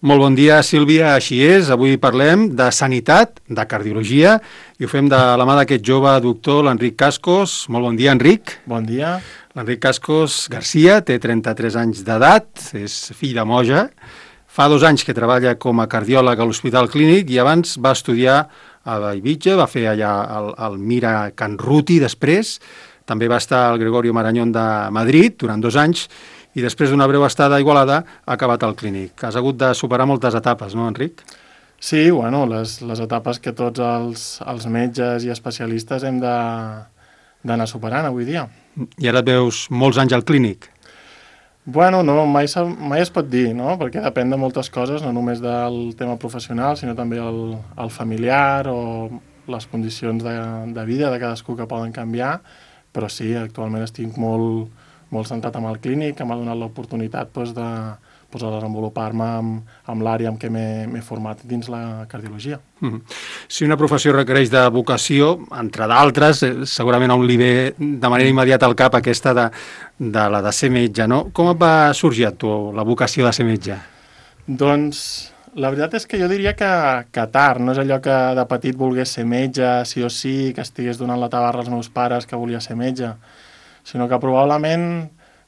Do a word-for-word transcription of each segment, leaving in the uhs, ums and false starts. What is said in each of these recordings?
Molt bon dia, Sílvia, així és. Avui parlem de sanitat, de cardiologia, i ho fem de la mà d'aquest jove doctor, l'Enric Cascos. Molt bon dia, Enric. Bon dia. L'Enric Cascos Garcia té trenta-tres anys d'edat, és fill de Moja. Fa dos anys que treballa com a cardiòleg a l'Hospital Clínic i abans va estudiar a Eivissa, va fer allà el, el Mira Can Ruti després. També va estar al Gregorio Marañón de Madrid durant dos anys i després d'una breu estada a Igualada ha acabat al Clínic. Has hagut de superar moltes etapes, no, Enric? Sí, bueno, les, les etapes que tots els, els metges i especialistes hem de, d'anar superant avui dia. I ara et veus molts anys al Clínic? Bueno, no, mai, mai es pot dir, no? Perquè depèn de moltes coses, no només del tema professional, sinó també el, el familiar o les condicions de, de vida de cadascú que poden canviar, però sí, actualment estic molt, molt centrat amb el Clínic, que m'ha donat l'oportunitat doncs, de, doncs, de desenvolupar-me amb, amb l'àrea amb què m'he format dins la cardiologia. Mm-hmm. Si una professió requereix de vocació, entre d'altres, segurament a un li ve de manera immediata al cap aquesta de, de la de ser metge, no? Com et va sorgir a tu la vocació de ser metge? Doncs la veritat és que jo diria que, que tard, no és allò que de petit volgués ser metge, sí o sí, que estigués donant la tabarra als meus pares que volia ser metge, sinó que probablement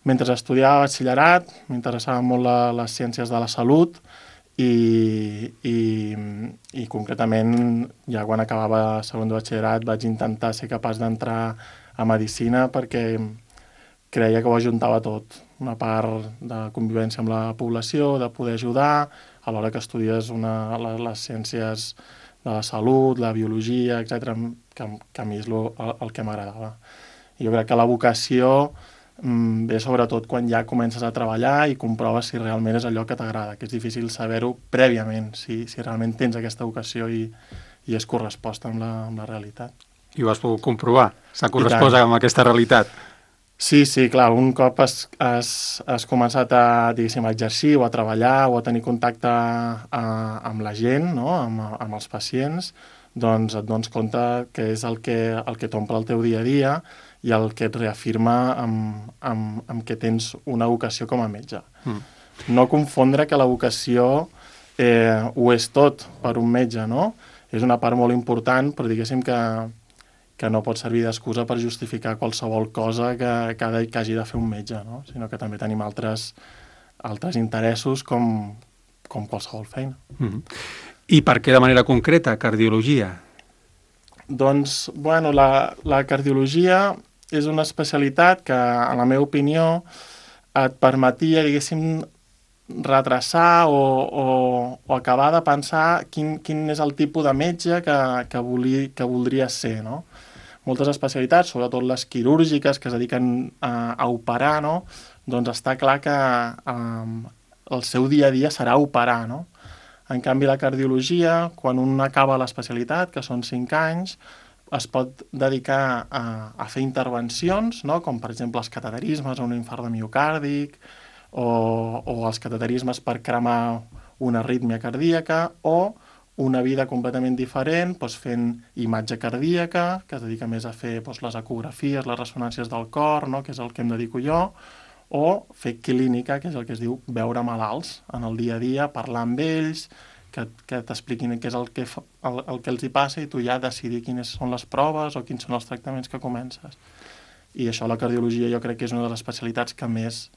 mentre estudiava batxillerat m'interessaven molt la, les ciències de la salut i, i, i concretament ja quan acabava segon de batxillerat vaig intentar ser capaç d'entrar a medicina perquè creia que ho ajuntava tot, una part de convivència amb la població, de poder ajudar, a l'hora que estudies una, les, les ciències de la salut, la biologia, etcètera, que, que a mi és lo, el, el que m'agradava. Jo crec que la vocació mm, ve sobretot quan ja comences a treballar i comproves si realment és allò que t'agrada, que és difícil saber-ho prèviament, si, si realment tens aquesta vocació i, i és corresposta amb la, amb la realitat. I ho has pogut comprovar? S'ha correspost amb aquesta realitat? Sí, sí, clar, un cop has, has, has començat a, diguéssim, a exercir o a treballar o a tenir contacte a, amb la gent, no? amb, amb els pacients, doncs et dones compte que és el que, el que t'omple el teu dia a dia i el que et reafirma amb, amb, amb que tens una vocació com a metge. Mm. No confondre que la vocació eh, ho és tot per un metge, no? És una part molt important, però diguéssim que que no pot servir d'excusa per justificar qualsevol cosa que, que, ha de, que hagi de fer un metge, no? Sinó que també tenim altres, altres interessos com, com qualsevol feina. Mm-hmm. I per què de manera concreta cardiologia? Doncs, bueno, la, la cardiologia és una especialitat que, en la meva opinió, et permetia, diguéssim, retrasar o, o, o acabar de pensar quin, quin és el tipus de metge que, que, voli, que voldria ser, no? Moltes especialitats, sobretot les quirúrgiques que es dediquen a, a operar, no? Doncs està clar que um, el seu dia a dia serà operar, no? En canvi, la cardiologia, quan un acaba l'especialitat, que són cinc anys, es pot dedicar a, a fer intervencions, no? Com per exemple els cateterismes o un infart de miocàrdic, o, o els cateterismes per cremar una arrítmia cardíaca, o una vida completament diferent, doncs fent imatge cardíaca, que es dedica més a fer doncs, les ecografies, les ressonàncies del cor, no? Que és el que em dedico jo, o fer clínica, que és el que es diu veure malalts en el dia a dia, parlar amb ells, que, que t'expliquin què és el que, fa, el, el que els hi passa i tu ja decidir quines són les proves o quins són els tractaments que comences. I això la cardiologia jo crec que és una de les especialitats que més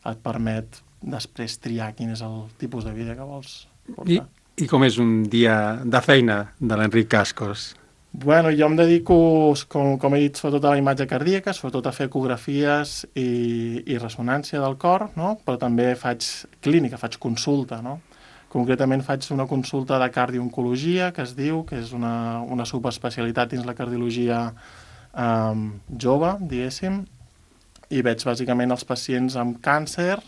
et permet després triar quin és el tipus de vida que vols portar. I, i com és un dia de feina de l'Enric Cascos? Bueno, jo em dedico, com, com he dit, sobretot a la imatge cardíaca, sobretot a fer ecografies i, i ressonància del cor, no? Però també faig clínica, faig consulta, no? Concretament faig una consulta de cardiooncologia, que es diu, que és una, una subespecialitat dins la cardiologia um, jove, diguéssim, i veig bàsicament els pacients amb càncer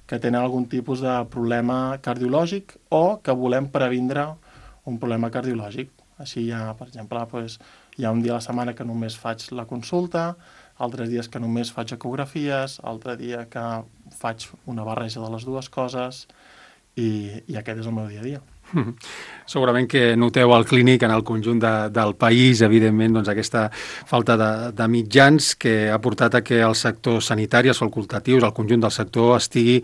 que tenen algun tipus de problema cardiològic o que volem previndre un problema cardiològic. Així hi ha, per exemple, doncs, hi ha un dia a la setmana que només faig la consulta, altres dies que només faig ecografies, altre dia que faig una barreja de les dues coses i, i aquest és el meu dia a dia. Segurament que noteu al clínic, en el conjunt de, del país, evidentment, doncs, aquesta falta de, de mitjans que ha portat a que el sector sanitari, els facultatius, el conjunt del sector estigui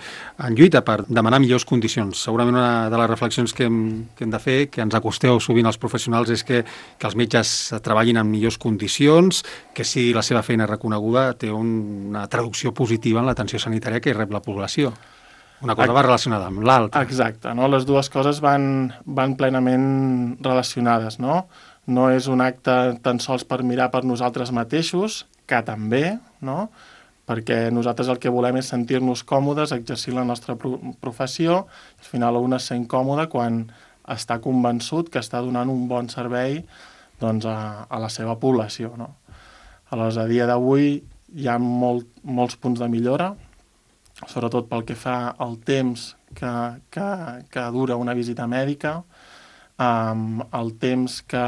en lluita per demanar millors condicions. Segurament una de les reflexions que hem, que hem de fer, que ens acosteu sovint als professionals, és que, que els metges treballin en millors condicions, que si la seva feina és reconeguda té un, una traducció positiva en l'atenció sanitària que rep la població. Una cosa va relacionada amb l'altra. Exacte, no? Les dues coses van, van plenament relacionades, no? No és un acte tan sols per mirar per nosaltres mateixos, que també, no? Perquè nosaltres el que volem és sentir-nos còmodes, exercir la nostra pro professió, al final un es sent còmode quan està convençut que està donant un bon servei doncs, a, a la seva població, no? Aleshores, a dia d'avui hi ha molt, molts punts de millora, sobretot pel que fa al temps que, que, que dura una visita mèdica, um, el temps que,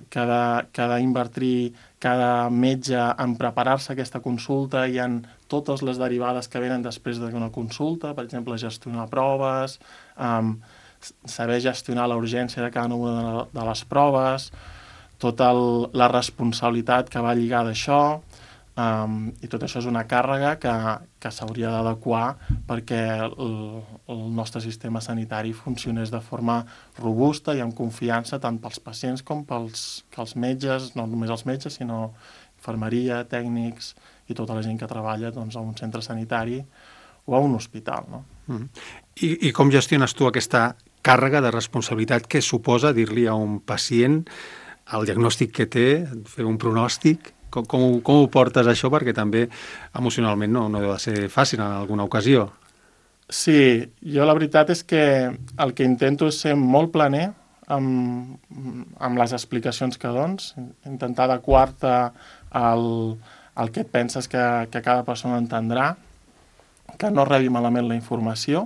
que ha d'invertir cada metge en preparar-se aquesta consulta i en totes les derivades que venen després d'una consulta, per exemple, gestionar proves, um, saber gestionar la urgència de cada una de les proves, tota el, la responsabilitat que va lligada a això, Um, i tot això és una càrrega que, que s'hauria d'adequar perquè el, el nostre sistema sanitari funcionés de forma robusta i amb confiança tant pels pacients com pels, pels metges, no només els metges, sinó infermeria, tècnics i tota la gent que treballa doncs, a un centre sanitari o a un hospital. No? Mm. I, I com gestiones tu aquesta càrrega de responsabilitat que suposa dir-li a un pacient el diagnòstic que té, fer un pronòstic? Com, com, com ho portes això? Perquè també emocionalment no, no deu de ser fàcil en alguna ocasió. Sí, jo la veritat és que el que intento és ser molt planer amb, amb les explicacions que dones, intentar adequar-te al, al que et penses que, que cada persona entendrà, que no rebi malament la informació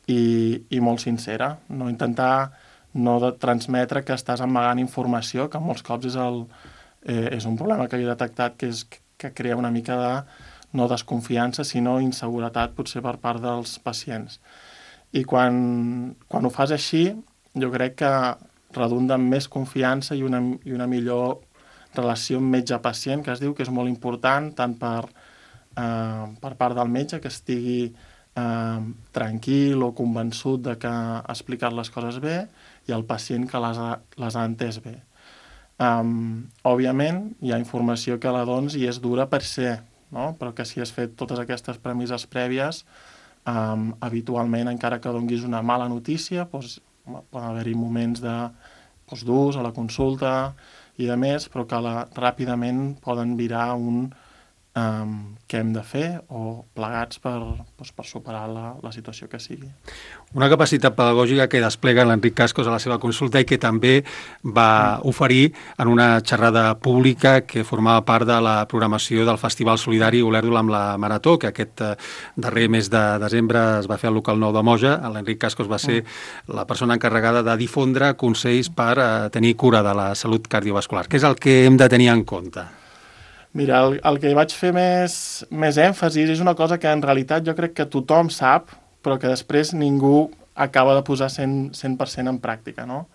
i, i molt sincera, no intentar no de transmetre que estàs amagant informació, que molts cops és el Eh, és un problema que he detectat que, és, que crea una mica de no desconfiança, sinó inseguretat potser per part dels pacients. I quan, quan ho fas així, jo crec que redunda en més confiança i una, i una millor relació metge-pacient, que es diu que és molt important, tant per, eh, per part del metge, que estigui eh, tranquil o convençut de que ha explicat les coses bé, i el pacient que les ha, les ha entès bé. Um, òbviament, hi ha informació que la dones i és dura per ser, no? Però que si has fet totes aquestes premisses prèvies, um, habitualment, encara que donguis una mala notícia, doncs, poden haver-hi moments de, doncs, durs a la consulta i de més, però que la, ràpidament poden virar un um, què hem de fer o plegats per, doncs, per superar la, la situació que sigui. Una capacitat pedagògica que desplega l'Enric Cascos a la seva consulta i que també va oferir en una xerrada pública que formava part de la programació del Festival Solidari Olèrdol amb la Marató, que aquest darrer mes de desembre es va fer al local nou de Moja. L'Enric Cascos va ser la persona encarregada de difondre consells per eh, tenir cura de la salut cardiovascular. Què és el que hem de tenir en compte? Mira, el, el que hi vaig fer més, més èmfasis és una cosa que en realitat jo crec que tothom sap, però que després ningú acaba de posar cent per cent en pràctica, no?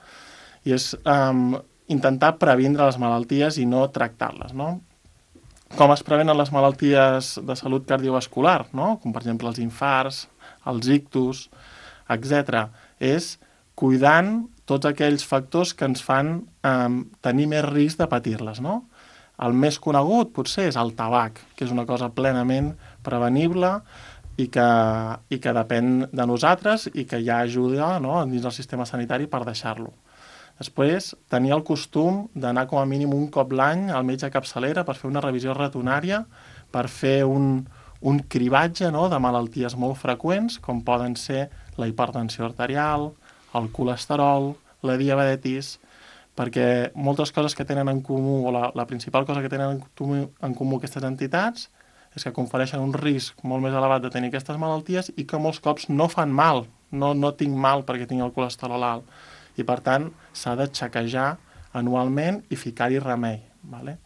I és um, intentar previndre les malalties i no tractar-les, no? Com es prevenen les malalties de salut cardiovascular, no? Com per exemple els infarts, els ictus, etcètera. És cuidant tots aquells factors que ens fan um, tenir més risc de patir-les, no? El més conegut potser és el tabac, que és una cosa plenament prevenible i que, i que depèn de nosaltres i que ja ajuda, no?, dins del sistema sanitari per deixar-lo. Després, tenir el costum d'anar com a mínim un cop l'any al metge capçalera per fer una revisió rutinària, per fer un, un cribatge, no?, de malalties molt freqüents, com poden ser la hipertensió arterial, el colesterol, la diabetis, perquè moltes coses que tenen en comú, o la, la principal cosa que tenen en comú, en comú aquestes entitats, és que confereixen un risc molt més elevat de tenir aquestes malalties i que molts cops no fan mal, no, no tinc mal perquè tinc el colesterol alt. I per tant s'ha de xequejar anualment i ficar-hi remei, ¿vale?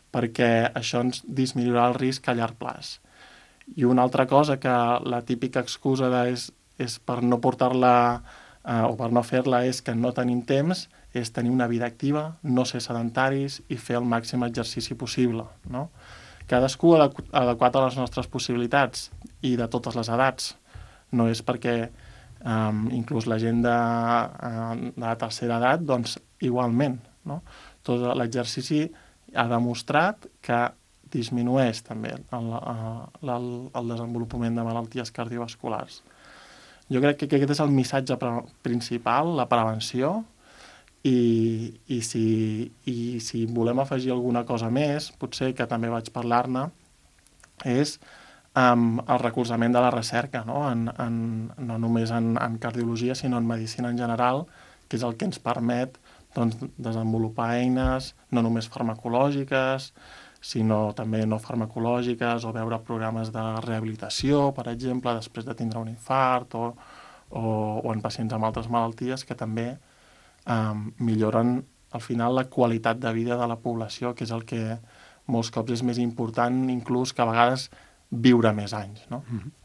Perquè això ens disminuirà el risc a llarg plaç. I una altra cosa que la típica excusa de és, és per no portar-la eh, o per no fer-la és que no tenim temps, és tenir una vida activa, no ser sedentaris i fer el màxim exercici possible, no? Cadascú adequ adequat a les nostres possibilitats i de totes les edats. No és perquè um, inclús la gent de, uh, de la tercera edat, doncs igualment, no? Tot l'exercici ha demostrat que disminueix també el, el, el desenvolupament de malalties cardiovasculars. Jo crec que aquest és el missatge principal, la prevenció, i, i, si, i si volem afegir alguna cosa més, potser que també vaig parlar-ne, és um, el recolzament de la recerca, no, en, en, no només en, en cardiologia, sinó en medicina en general, que és el que ens permet doncs, desenvolupar eines no només farmacològiques, sinó també no farmacològiques, o veure programes de rehabilitació, per exemple, després de tindre un infart, o, o, o en pacients amb altres malalties que també eh, milloren al final la qualitat de vida de la població, que és el que molts cops és més important, inclús que a vegades viure més anys, no? Mm-hmm.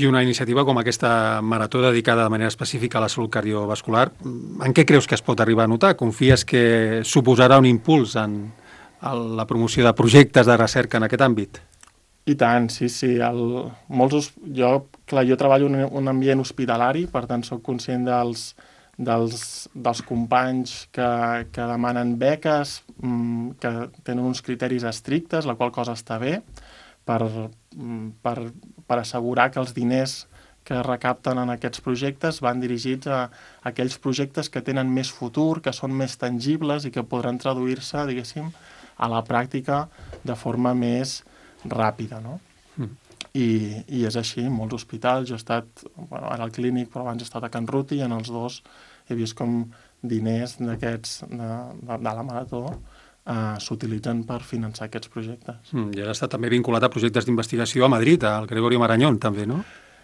I una iniciativa com aquesta marató dedicada de manera específica a la salut cardiovascular, en què creus que es pot arribar a notar? Confies que suposarà un impuls en la promoció de projectes de recerca en aquest àmbit? I tant, sí, sí. El, molts, jo, clar, jo treballo en un ambient hospitalari, per tant soc conscient dels, dels, dels companys que, que demanen beques, que tenen uns criteris estrictes, la qual cosa està bé, per, per, per assegurar que els diners que recapten en aquests projectes van dirigits a, a aquells projectes que tenen més futur, que són més tangibles i que podran traduir-se, diguéssim, a la pràctica de forma més ràpida, no? Mm. I, I és així, en molts hospitals. Jo he estat, bueno, ara al Clínic, però abans he estat a Can Ruti, i en els dos he vist com diners d'aquests, de, de, de la marató, Uh, s'utilitzen per finançar aquests projectes. Mm, I has estat també vinculat a projectes d'investigació a Madrid, al Gregorio Marañón, també, no?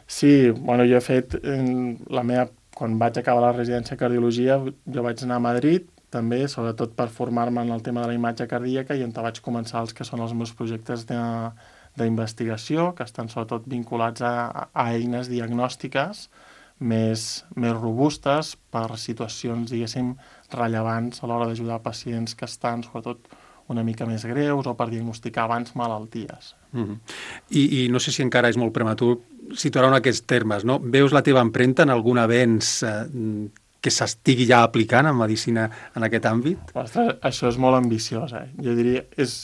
Sí, bueno, jo he fet eh, la meva... Quan vaig acabar la residència de cardiologia, jo vaig anar a Madrid, també, sobretot per formar-me en el tema de la imatge cardíaca, i on vaig començar els que són els meus projectes d'investigació, que estan sobretot vinculats a, a eines diagnòstiques més, més robustes per situacions, diguéssim, rellevants a l'hora d'ajudar pacients que estan, sobretot, una mica més greus o per diagnosticar abans malalties. Mm-hmm. I, I no sé si encara és molt prematur situar-ho en aquests termes, no? Veus la teva empremta en algun avenç eh, que s'estigui ja aplicant en medicina en aquest àmbit? Ostres, això és molt ambiciós, eh? Jo diria, és,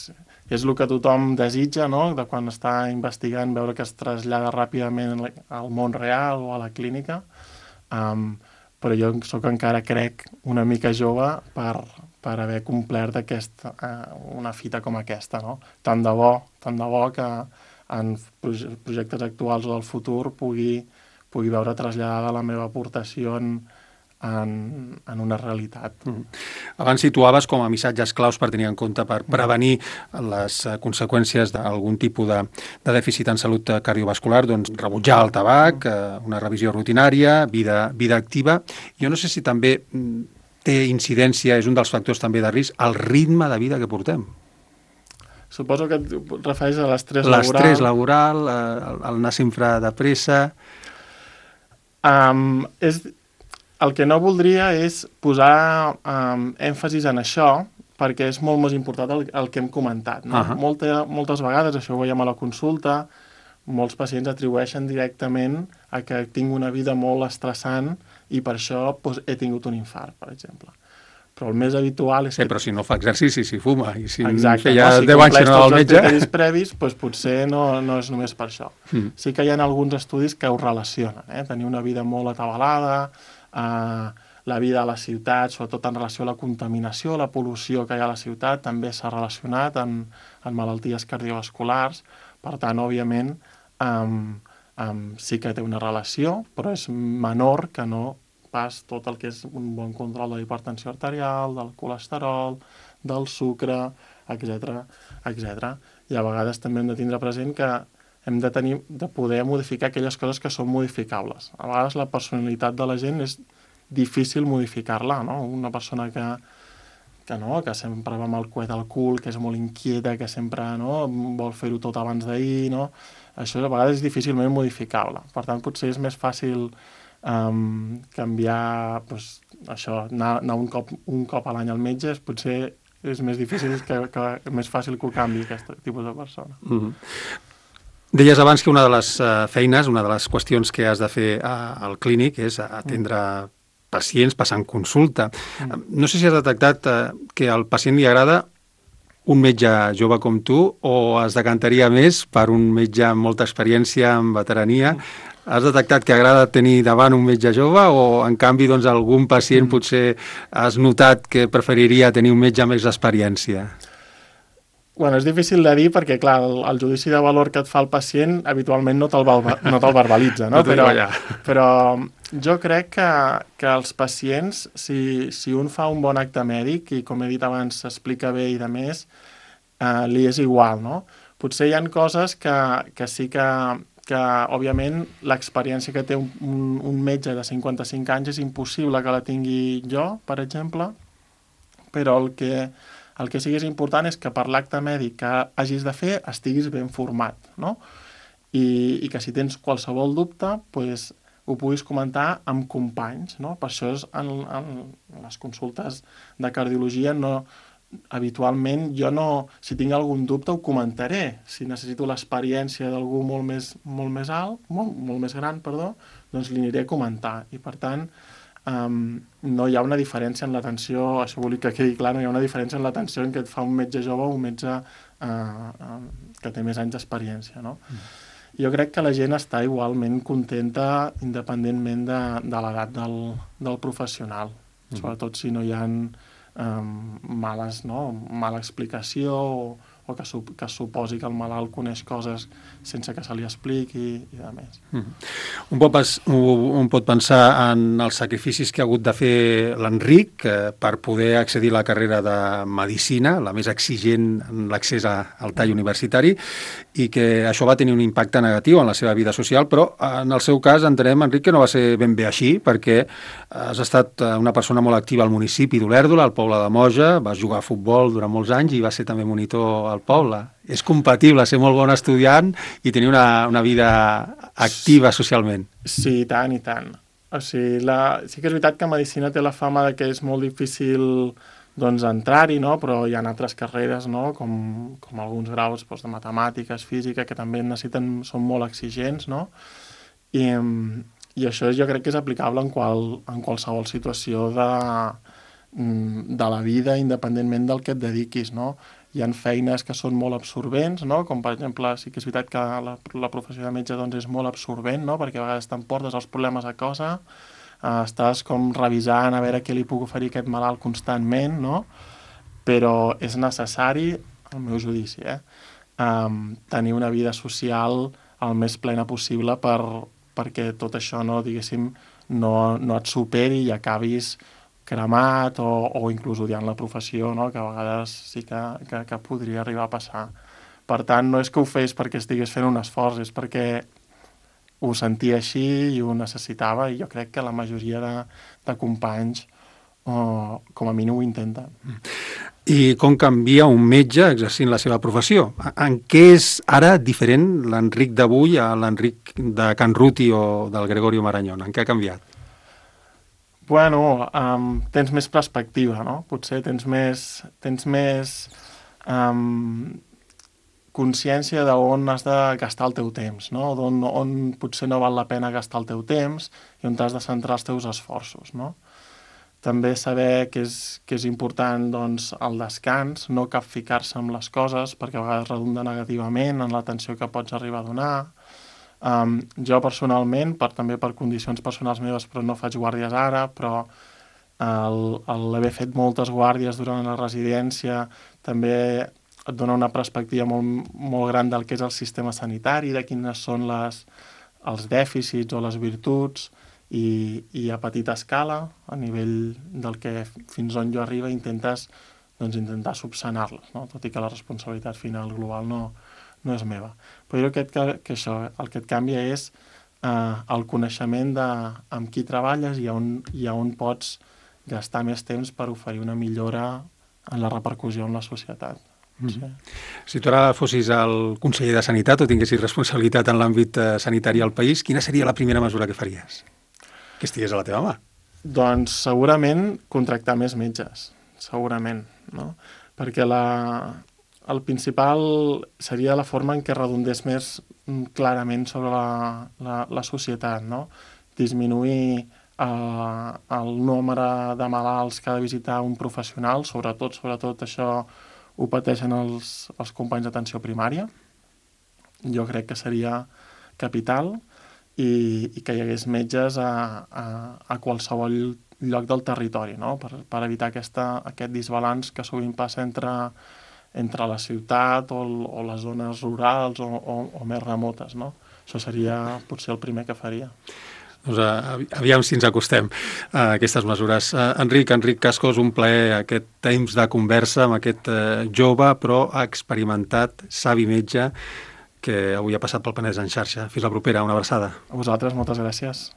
és el que tothom desitja, no?, de quan està investigant, veure que es trasllada ràpidament al món real o a la clínica, um, però jo sóc encara, crec, una mica jove per, per haver complert aquesta, eh, una fita com aquesta, no? Tant de bo, tant de bo que en projectes actuals o del futur pugui, pugui veure traslladada la meva aportació en, en, en una realitat. Mm. Abans situaves com a missatges claus per tenir en compte per prevenir les conseqüències d'algun tipus de, de dèficit en salut cardiovascular, doncs rebutjar el tabac, una revisió rutinària, vida, vida activa. Jo no sé si també té incidència, és un dels factors també de risc, el ritme de vida que portem. Suposo que et refereix a l'estrès laboral. L'estrès laboral, el, el anar sempre de pressa... Um, és... El que no voldria és posar um, èmfasis en això, perquè és molt més important el, el que hem comentat, no? Uh-huh. Molta, moltes vegades, això ho veiem a la consulta, molts pacients atribueixen directament a que tinc una vida molt estressant i per això doncs, he tingut un infart, per exemple. Però el més habitual és sí, que... però si no fa exercici, si fuma, i si exacte, feia no? Si deu anys que no al metge... Si compleix tots els criteris previs, doncs potser no, no és només per això. Mm. Sí que hi ha alguns estudis que ho relacionen, eh? Tenir una vida molt atabalada, Uh, la vida a la ciutat, sobretot en relació a la contaminació, la pol·lució que hi ha a la ciutat, també s'ha relacionat amb, amb malalties cardiovasculars. Per tant, òbviament, um, um, sí que té una relació, però és menor que no pas tot el que és un bon control de la hipertensió arterial, del colesterol, del sucre, etcètera, etcètera. I a vegades també hem de tindre present que hem de, tenir, de poder modificar aquelles coses que són modificables. A vegades la personalitat de la gent és difícil modificar-la, no? Una persona que, que, no, que sempre va amb el coet al cul, que és molt inquieta, que sempre no, vol fer-ho tot abans d'ahir, no? Això a vegades és difícilment modificable. Per tant, potser és més fàcil um, canviar, doncs, això, anar, anar un, cop, un cop a l'any al metge, potser és més difícil, que, que més fàcil que ho canvi aquest tipus de persona. Mm-hmm. Deies abans que una de les uh, feines, una de les qüestions que has de fer uh, al clínic és atendre mm. pacients passant consulta. Mm. No sé si has detectat uh, que al pacient li agrada un metge jove com tu o es decantaria més per un metge amb molta experiència en veterania. Mm. Has detectat que agrada tenir davant un metge jove o, en canvi, doncs, algun pacient mm. potser has notat que preferiria tenir un metge amb més experiència? Bueno, és difícil de dir perquè, clar, el, el judici de valor que et fa el pacient habitualment no te'l, no te'l verbalitza, no? no però, però jo crec que, que els pacients, si, si un fa un bon acte mèdic i, com he dit abans, s'explica bé i de més, eh, li és igual, no? Potser hi ha coses que, que sí que, que, òbviament, l'experiència que té un, un, un metge de cinquanta-cinc anys és impossible que la tingui jo, per exemple, però el que... El que sí que és important és que per l'acte mèdic que hagis de fer estiguis ben format, no? I, i que si tens qualsevol dubte, pues, ho puguis comentar amb companys, no? Per això és en, en les consultes de cardiologia no, habitualment jo no, si tinc algun dubte ho comentaré. Si necessito l'experiència d'algú molt més, molt més alt, molt, molt més gran, perdó, doncs li aniré a comentar. I per tant, Um, no hi ha una diferència en l'atenció, això vull que quedi clar, no hi ha una diferència en l'atenció en què et fa un metge jove o un metge uh, uh, que té més anys d'experiència, no? Mm. Jo crec que la gent està igualment contenta independentment de, de l'edat del, del professional, mm. sobretot si no hi ha um, males, no? mala explicació o, o que, su, que suposi que el malalt coneix coses sense que se li expliqui i de més. Mm. Un, pot, un pot pensar en els sacrificis que ha hagut de fer l'Enric eh, per poder accedir a la carrera de Medicina, la més exigent en l'accés al tall universitari, i que això va tenir un impacte negatiu en la seva vida social, però en el seu cas entenem, Enric, que no va ser ben bé així, perquè has estat una persona molt activa al municipi d'Olèrdola, al poble de Moja, vas jugar a futbol durant molts anys i vas ser també monitor al poble. És compatible ser molt bon estudiant i tenir una, una vida activa socialment. Sí, i tant, i tant. O sigui, la... sí que és veritat que Medicina té la fama de que és molt difícil doncs, entrar-hi, no? Però hi ha altres carreres, no? com, com alguns graus doncs, de matemàtiques, física, que també necessiten, són molt exigents, no? I, i això jo crec que és aplicable en, qual, en qualsevol situació de, de la vida, independentment del que et dediquis, no? Hi ha feines que són molt absorbents, no? Com per exemple, sí que és veritat que la, la professió de metge doncs, és molt absorbent, no? Perquè a vegades t'emportes els problemes a casa, eh, estàs com revisant a veure què li puc oferir aquest malalt constantment, no? Però és necessari, al meu judici, eh? Um, tenir una vida social el més plena possible per, perquè tot això, no, diguéssim, no, no et superi i acabis cremat o, o inclús odiant la professió, no? Que a vegades sí que, que, que podria arribar a passar. Per tant, no és que ho fes perquè estigués fent un esforç, és perquè ho sentia així i ho necessitava, i jo crec que la majoria de, de companys oh, com a mínim ho intenten. I com canvia un metge exercint la seva professió? En què és ara diferent l'Enric d'avui a l'Enric de Can Ruti o del Gregorio Marañón? En què ha canviat? Bueno, um, tens més perspectiva, no? Potser tens més, tens més um, consciència d'on has de gastar el teu temps, no? On, on potser no val la pena gastar el teu temps i on t'has de centrar els teus esforços, no? També saber que és, que és important doncs, el descans, no capficar-se amb les coses, perquè a vegades redunda negativament en l'atenció que pots arribar a donar. Um, jo personalment, per, també per condicions personals meves, però no faig guàrdies ara, però l'haver fet moltes guàrdies durant la residència també et dona una perspectiva molt, molt gran del que és el sistema sanitari, de quines són les, els dèficits o les virtuts, i, i a petita escala, a nivell del que fins on jo arriba, intentes doncs, intentar subsanar-les, no? Tot i que la responsabilitat final global no, no és meva. Però jo crec que, que això, el que et canvia és eh, el coneixement de amb qui treballes i on, i on pots gastar més temps per oferir una millora en la repercussió en la societat. Sí. Si tu ara fossis el conseller de Sanitat o tinguessis responsabilitat en l'àmbit sanitari al país, quina seria la primera mesura que faries? que estigués a la teva mà. Doncs segurament contractar més metges, segurament, no? Perquè la, el principal seria la forma en què redondés més clarament sobre la, la, la societat, no? Disminuir eh, el nombre de malalts que ha de visitar un professional, sobretot, sobretot això ho pateixen els, els companys d'atenció primària. Jo crec que seria capital i, i que hi hagués metges a, a, a qualsevol lloc del territori, no? per, per evitar aquesta, aquest disbalanç que sovint passa entre, entre la ciutat o, o les zones rurals o, o, o més remotes, no? Això seria potser el primer que faria. Doncs uh, aviam si ens acostem a aquestes mesures. Uh, Enric, Enric Cascos, un plaer aquest temps de conversa amb aquest uh, jove però experimentat, savi metge, que avui ha passat pel Penedès en xarxa. Fins la propera, una abraçada. A vosaltres, moltes gràcies.